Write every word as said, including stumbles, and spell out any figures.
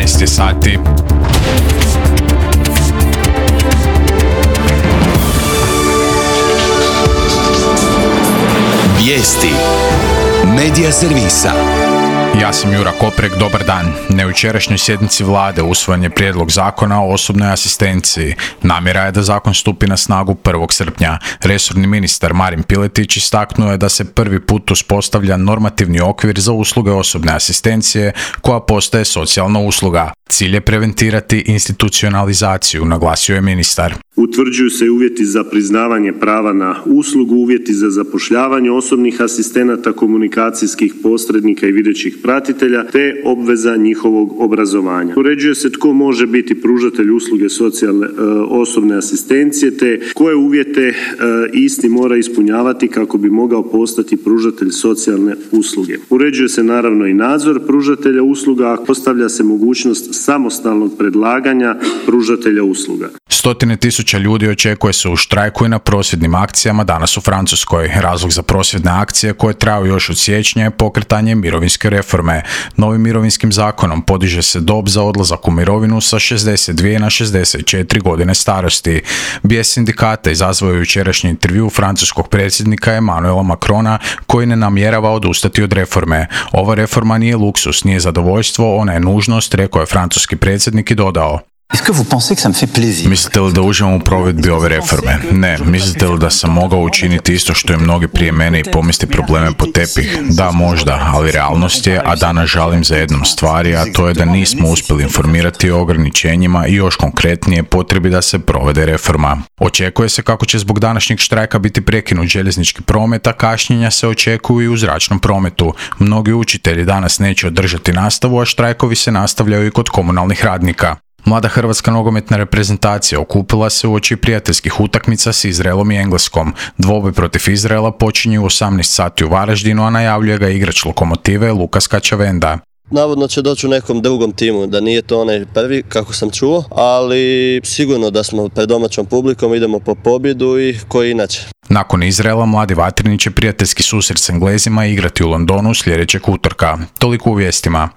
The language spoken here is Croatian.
jedanaest je sati. Vijesti Medija servisa. Ja sam Jura Koprek, dobar dan. Na jučerašnjoj sjednici vlade usvojen je prijedlog zakona o osobnoj asistenciji. Namjera je da zakon stupi na snagu prvog srpnja. Resorni ministar Marin Piletić istaknuo je da se prvi put uspostavlja normativni okvir za usluge osobne asistencije koja postaje socijalna usluga. Cilj je preventirati institucionalizaciju, naglasio je ministar. Utvrđuju se uvjeti za priznavanje prava na uslugu, uvjeti za zapošljavanje osobnih asistenata, komunikacijskih posrednika i videćih pratitelja, te obveza njihovog obrazovanja. Uređuje se tko može biti pružatelj usluge socijalne e, osobne asistencije, te koje uvjete e, isti mora ispunjavati kako bi mogao postati pružatelj socijalne usluge. Uređuje se naravno i nadzor pružatelja usluga, a postavlja se mogućnost samostalnog predlaganja pružatelja usluga. Stotine tisuća ljudi očekuje se u štrajku i na prosvjednim akcijama danas u Francuskoj. Razlog za prosvjedne akcije koje traju još od siječnja je pokretanje mirovinske reforme. Novim mirovinskim zakonom podiže se dob za odlazak u mirovinu sa šezdeset dvije na šezdeset četiri godine starosti. Bijes sindikata izazvao je jučerašnji intervju francuskog predsjednika Emmanuela Macrona koji ne namjerava odustati od reforme. Ova reforma nije luksus, nije zadovoljstvo, ona je nužnost, rekao je francuski predsjednik i dodao. Mislite li da uživam u provedbi ove reforme? Ne. Mislite li da sam mogao učiniti isto što i mnogi prije mene i pomesti probleme po tepih? Da, možda, ali realnost je, a danas žalim za jednom stvari, a to je da nismo uspjeli informirati o ograničenjima i još konkretnije potrebi da se provede reforma. Očekuje se kako će zbog današnjeg štrajka biti prekinut željeznički promet, a kašnjenja se očekuju i u zračnom prometu. Mnogi učitelji danas neće održati nastavu, a štrajkovi se nastavljaju i kod komunalnih radnika. Mlada hrvatska nogometna reprezentacija okupila se uoči prijateljskih utakmica s Izraelom i Engleskom. Dvoboj protiv Izraela počinje u osamnaest sati u Varaždinu, a najavljuje ga igrač Lokomotive Lukas Kačavenda. Navodno će doći u nekom drugom timu, da nije to onaj prvi, kako sam čuo, ali sigurno da smo pred domaćom publikom, idemo po pobjedu i koji inače. Nakon Izraela, mladi vatreni će prijateljski susret s Englezima igrati u Londonu sljedećeg utorka. Toliko u vijestima.